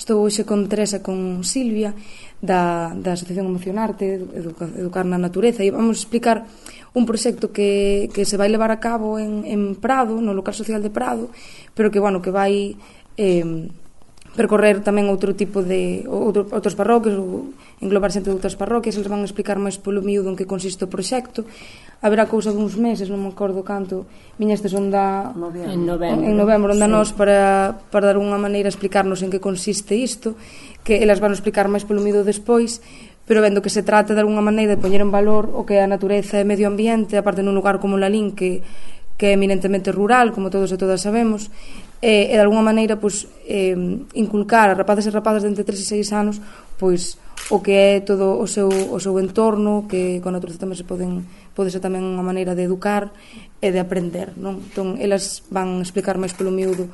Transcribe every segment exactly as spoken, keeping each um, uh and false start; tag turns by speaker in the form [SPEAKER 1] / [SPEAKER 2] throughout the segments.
[SPEAKER 1] Estou hoxe con Teresa, con Silvia, da, da Asociación Emocionarte, Educa, Educar na Natureza, e vamos explicar un proxecto que, que se vai levar a cabo en, en Prado, no local social de Prado, pero que, bueno, que vai eh, percorrer tamén outro tipo de outro, outros parroquios, ou englobar xente de outras parroquias. Eles van a explicar máis polo miúdo en que consiste o proxecto. Haberá cousa duns meses, non me acordo canto, viñestes onda
[SPEAKER 2] en novembro,
[SPEAKER 1] en novembro onda sí. Nós para, para dar unha maneira a explicarnos en que consiste isto, que elas van a explicar máis polo miúdo despois, pero vendo que se trata de alguna maneira de poñer en valor o que é a natureza e medio ambiente, aparte nun lugar como Lalín, que, que é eminentemente rural, como todos e todas sabemos, e, e de alguna maneira pues, eh, inculcar a rapazes e rapazas de entre tres e seis anos pois o que é todo o seu, o seu entorno, que con a natureza tamén se poden, pode ser tamén unha maneira de educar e de aprender, non? Entón, elas van explicar máis polo miúdo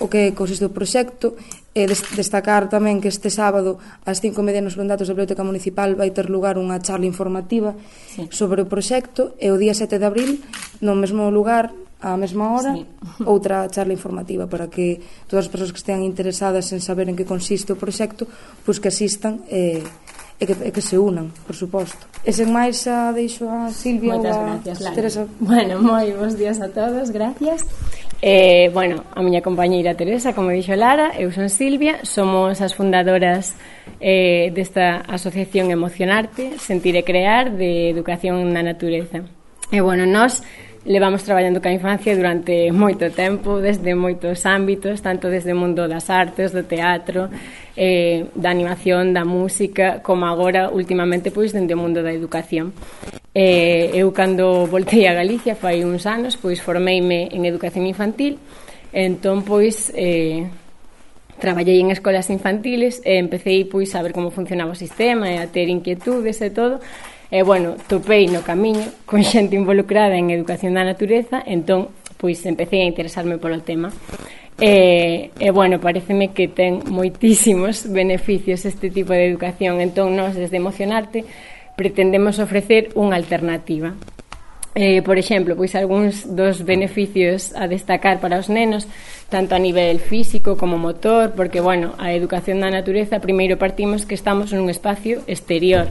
[SPEAKER 1] o que consiste o proxecto, e destacar tamén que este sábado ás cinco e media nos Londatos da Biblioteca Municipal vai ter lugar unha charla informativa sí. sobre o proxecto, e o día sete de abril no mesmo lugar, á mesma hora, sí. outra charla informativa para que todas as persoas que estean interesadas en saber en que consiste o proxecto, pois que asistan e, e, que, e que se unan, por suposto. E sen máis a deixo a Silvia
[SPEAKER 2] Moitas
[SPEAKER 1] ou a
[SPEAKER 2] gracias,
[SPEAKER 1] Teresa.
[SPEAKER 2] Bueno, moi bons días a todos, gracias. Eh, bueno, a miña compañeira Teresa, como dixo Lara, eu son Silvia, somos as fundadoras eh, desta asociación Emocionarte, Sentir e Crear, de Educación na Natureza. E bueno, nós levamos traballando ca infancia durante moito tempo, desde moitos ámbitos, tanto desde o mundo das artes, do teatro, eh, da animación, da música, como agora, últimamente, pois, dende o mundo da educación. Eh, eu, cando voltei a Galicia, fai uns anos, pois, formeime en educación infantil, entón, pois, eh, traballei en escolas infantiles e empecé, pois, a ver como funcionaba o sistema e a ter inquietudes e todo. E, bueno, topei no camiño con xente involucrada en educación da natureza, entón, pois, empecé a interesarme polo tema. E, e bueno, pareceme que ten moitísimos beneficios este tipo de educación, entón, nós, desde Emocionarte, pretendemos ofrecer unha alternativa. Eh, por exemplo, pois, algúns dos beneficios a destacar para os nenos, tanto a nivel físico como motor, porque, bueno, a educación da natureza, primeiro partimos que estamos nun espacio exterior,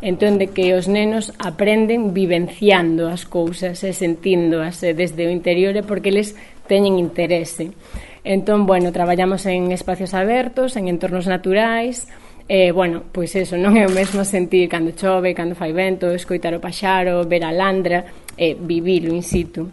[SPEAKER 2] entón de que os nenos aprenden vivenciando as cousas e sentíndoas desde o interior, porque eles teñen interese. Entón, bueno, traballamos en espacios abertos, en entornos naturais, e, bueno, pois eso, non é o mesmo sentir cando chove, cando fai vento, escoitar o paxaro, ver a landra, e vivilo in situ.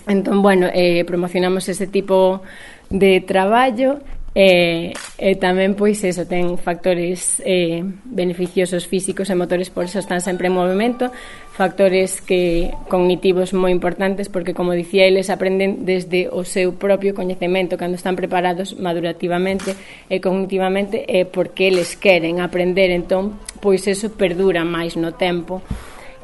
[SPEAKER 2] Entón, bueno, eh, promocionamos ese tipo de traballo. E, e tamén, pois, eso, ten factores eh, beneficiosos físicos e motores, por eso están sempre en movimento, factores que cognitivos moi importantes, porque, como dicía, eles aprenden desde o seu propio coñecemento, cando están preparados madurativamente e cognitivamente, e porque eles queren aprender, entón, pois, eso perdura máis no tempo.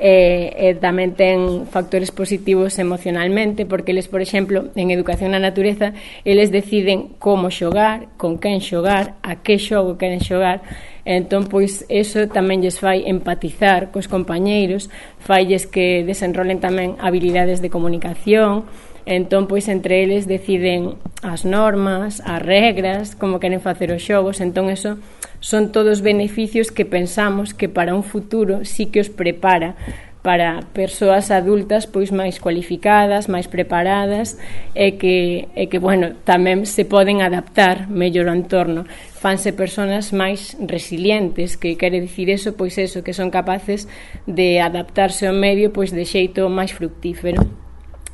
[SPEAKER 2] E, e tamén ten factores positivos emocionalmente, porque eles, por exemplo, en educación na natureza, eles deciden como xogar, con quen xogar, a que xogo queren xogar, e entón, pois, eso tamén lles fai empatizar cos compañeiros, failles que desenrolen tamén habilidades de comunicación, e entón, pois, entre eles deciden as normas, as regras, como queren facer os xogos, entón, eso son todos beneficios que pensamos que para un futuro sí que os prepara para persoas adultas pois máis cualificadas, máis preparadas e que, e que bueno, tamén se poden adaptar mellor ao entorno. Fanse persoas máis resilientes, que quere dicir eso, pois eso, que son capaces de adaptarse ao medio pois de xeito máis fructífero.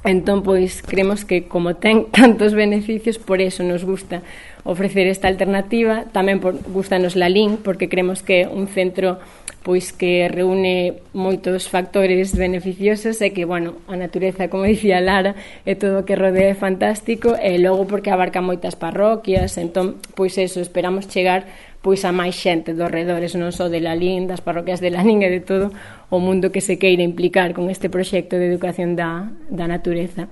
[SPEAKER 2] Entón, pois, creemos que como ten tantos beneficios, por eso nos gusta ofrecer esta alternativa. Tamén por, gustanos Lalín, porque creemos que é un centro pois que reúne moitos factores beneficiosos e que, bueno, a natureza, como dicía Lara, é todo o que rodea é fantástico, e logo porque abarca moitas parroquias, entón, pois eso, esperamos chegar pois a máis xente dos redores, non só de Lalín, das parroquias de Lalín e de todo o mundo que se queira implicar con este proxecto de educación da, da natureza.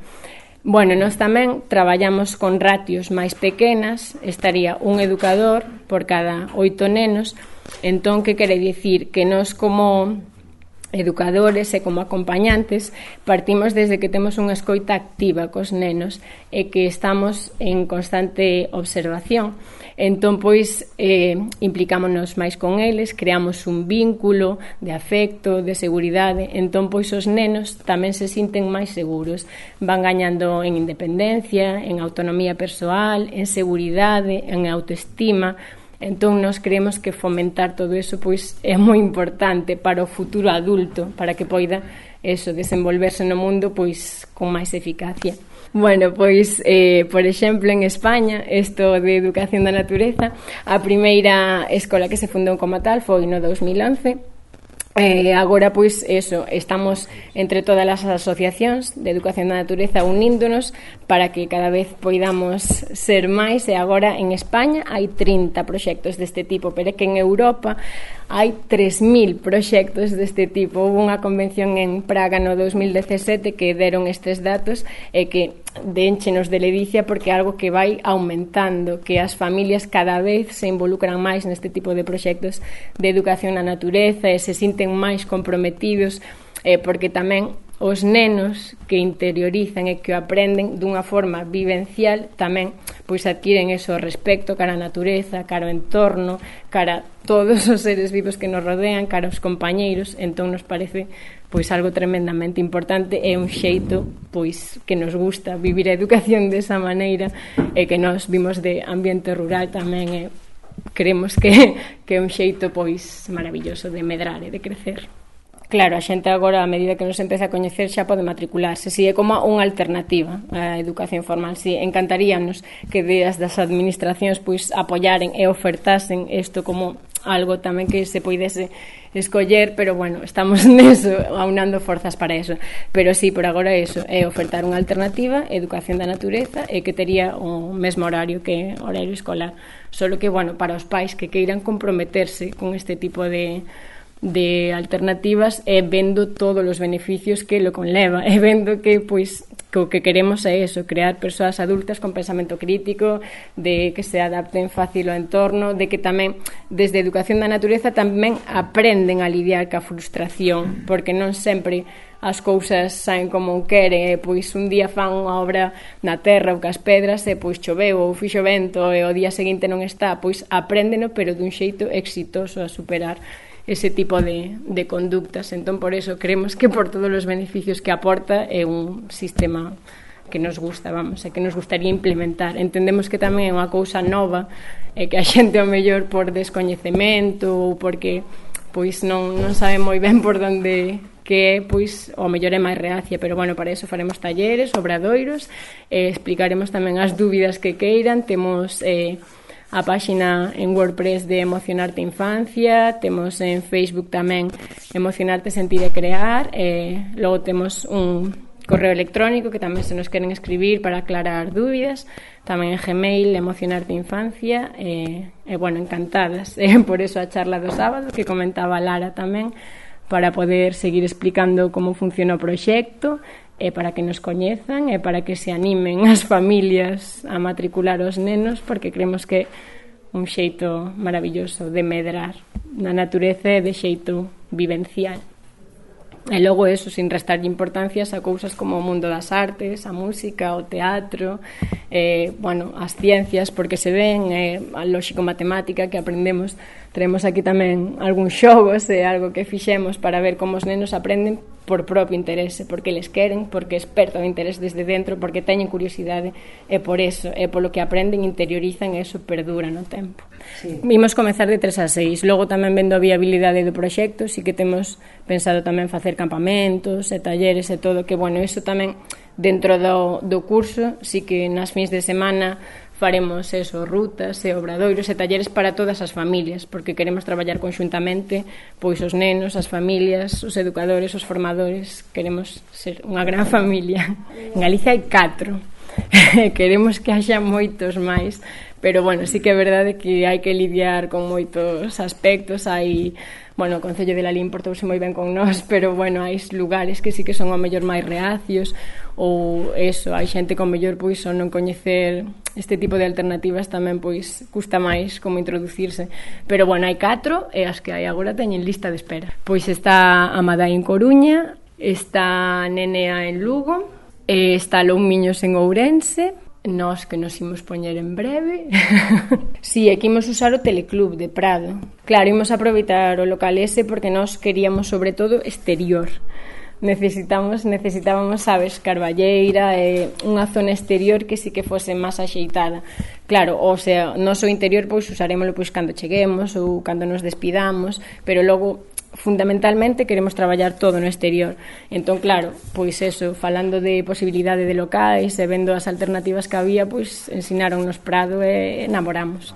[SPEAKER 2] Bueno, nós tamén traballamos con ratios máis pequenas, estaría un educador por cada oito nenos. Entón, que quere dicir? Que nós como educadores e como acompañantes partimos desde que temos unha escoita activa cos nenos e que estamos en constante observación. Entón, pois, eh, implicámonos máis con eles, creamos un vínculo de afecto, de seguridade. Entón, pois, os nenos tamén se sinten máis seguros. Van gañando en independencia, en autonomía persoal, en seguridade, en autoestima. Entón, nós creemos que fomentar todo eso, pois, é moi importante para o futuro adulto, para que poida, eso, desenvolverse no mundo, pois, con máis eficacia. Bueno, pois, eh, por exemplo, en España, isto de educación da natureza, a primeira escola que se fundou como tal foi no dos mil once. Eh, agora, pois, eso, estamos entre todas as asociacións de educación da natureza uníndonos para que cada vez poidamos ser máis, e agora en España hai trinta proxectos deste tipo, pero é que en Europa hai tres mil proxectos deste tipo. Houve unha convención en Praga no dos mil dezasete que deron estes datos e que dénchenos de ledicia, porque é algo que vai aumentando, que as familias cada vez se involucran máis neste tipo de proxectos de educación na natureza e se sinten máis comprometidos, eh, porque tamén os nenos que interiorizan e que o aprenden dunha forma vivencial tamén pois adquiren eso respecto cara á natureza, cara ao entorno, cara a todos os seres vivos que nos rodean, cara aos compañeiros. Entón nos parece pois algo tremendamente importante e un xeito pois que nos gusta vivir a educación desa maneira, e que nos vimos de ambiente rural tamén, e creemos que, que é un xeito pois maravilloso de medrar e de crecer. Claro, a xente agora, a medida que nos empeza a coñecer, xa pode matricularse. Si é como unha alternativa á educación formal. Si encantaríanos que desde as administracións pois apoyaren e ofertasen isto como algo tamén que se poidese escoller, pero bueno, estamos neso, aunando forzas para eso. Pero sí, por agora eso, é ofertar unha alternativa, educación da natureza, e que tería o mesmo horario que horario escolar. Solo que, bueno, para os pais que queiran comprometerse con este tipo de de alternativas, e vendo todos os beneficios que lo conleva, e vendo que, pois, que o que queremos é eso, crear persoas adultas con pensamento crítico, de que se adapten fácil ao entorno, de que tamén, desde a educación da natureza, tamén aprenden a lidiar ca frustración, porque non sempre as cousas saen como queren, e pois un día fan unha obra na terra ou cas pedras, e pois choveu ou fixo vento, e o día seguinte non está, pois apréndeno, pero dun xeito exitoso a superar ese tipo de, de conductas. Entón, por eso, creemos que por todos os beneficios que aporta é un sistema que nos gusta, vamos, e que nos gustaría implementar. Entendemos que tamén é unha cousa nova, e que a xente, ao mellor, por descoñecemento ou porque pois non, non sabe moi ben por onde que é, pois, ao mellor é máis reacia, pero bueno, para eso faremos talleres, obradoiros, e explicaremos tamén as dúbidas que queiran. Temos eh, a páxina en WordPress de Emocionarte Infancia, temos en Facebook tamén Emocionarte Sentir e Crear, e logo temos un correo electrónico que tamén se nos queren escribir para aclarar dúbidas, tamén en Gmail, Emocionarte Infancia, e, e bueno, encantadas, e por eso a charla do sábado que comentaba Lara tamén, para poder seguir explicando como funciona o proxecto, e para que nos coñezan, e para que se animen as familias a matricular os nenos, porque creemos que un xeito maravilloso de medrar na natureza e de xeito vivencial. E logo eso, sin restar importancias a cousas como o mundo das artes, a música, o teatro, eh, bueno, as ciencias, porque se ven, eh, a lóxico-matemática que aprendemos. Traemos aquí tamén algúns xogos e algo que fixemos para ver como os nenos aprenden por propio interese, porque les queren, porque esperta o interés desde dentro, porque teñen curiosidade, e por eso, e polo que aprenden, interiorizan, e eso perdura no tempo. Sí. Vimos comezar de tres a seis, logo tamén vendo a viabilidade do proxecto, si que temos pensado tamén facer campamentos e talleres e todo, que bueno, eso tamén dentro do, do curso, si que nas fins de semana faremos eso, rutas e obradoiros e talleres para todas as familias, porque queremos traballar conxuntamente, pois os nenos, as familias, os educadores, os formadores, queremos ser unha gran familia. En Galicia hai catro, queremos que haxa moitos máis, pero bueno, sí que é verdade que hai que lidiar con moitos aspectos. Hai, bueno, o Concello de Lalín portouse moi ben con nós, pero bueno, hai lugares que sí que son ao mellor máis reacios, ou eso, hai xente con mellor pois o non coñecer este tipo de alternativas tamén pois custa máis como introducirse, pero bueno, hai catro e as que hai agora teñen lista de espera. Pois está a Madai en Coruña, está Nenea en Lugo, está Loumiños en Ourense, nós que nos imos poñer en breve. Si, sí, aquí imos usar o Teleclub de Prado. Claro, imos aproveitar o local ese porque nós queríamos sobre todo exterior. Necesitamos, necesitábamos, sabes, carballeira, eh, unha zona exterior que sí que fose máis axeitada. Claro, o sea, nós o interior pois usarémoslo pois cando cheguemos ou cando nos despidamos, pero logo fundamentalmente queremos traballar todo no exterior. Entón, claro, pois eso, falando de posibilidade de locais e vendo as alternativas que había, pois ensinaronnos Prado e enamoramos.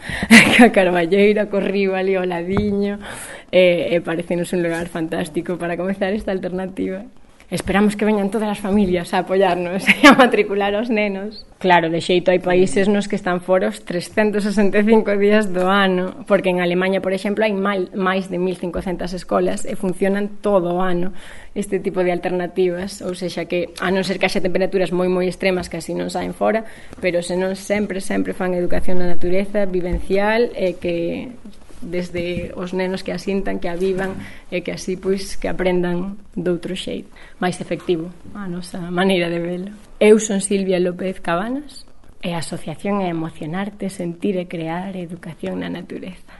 [SPEAKER 2] A carballeira, co río ali ao ladiño, e, e parecenos un lugar fantástico para comezar esta alternativa. Esperamos que veñan todas as familias a apoiarnos e a matricular os nenos. Claro, de xeito hai países nos que están fora os trescentos sesenta e cinco días do ano, porque en Alemanha, por exemplo, hai máis de mil cincocentas escolas e funcionan todo o ano este tipo de alternativas, ou seja que, a non ser que haxa temperaturas moi moi extremas que así non saen fora, pero senón sempre, sempre fan educación na natureza, vivencial, e que desde os nenos que asintan, que a vivan e que así pois que aprendan doutro xeito máis efectivo a nosa maneira de velo. Eu son Silvia López Cabanas e a asociación é Emocionarte, Sentir e Crear Educación na Natureza.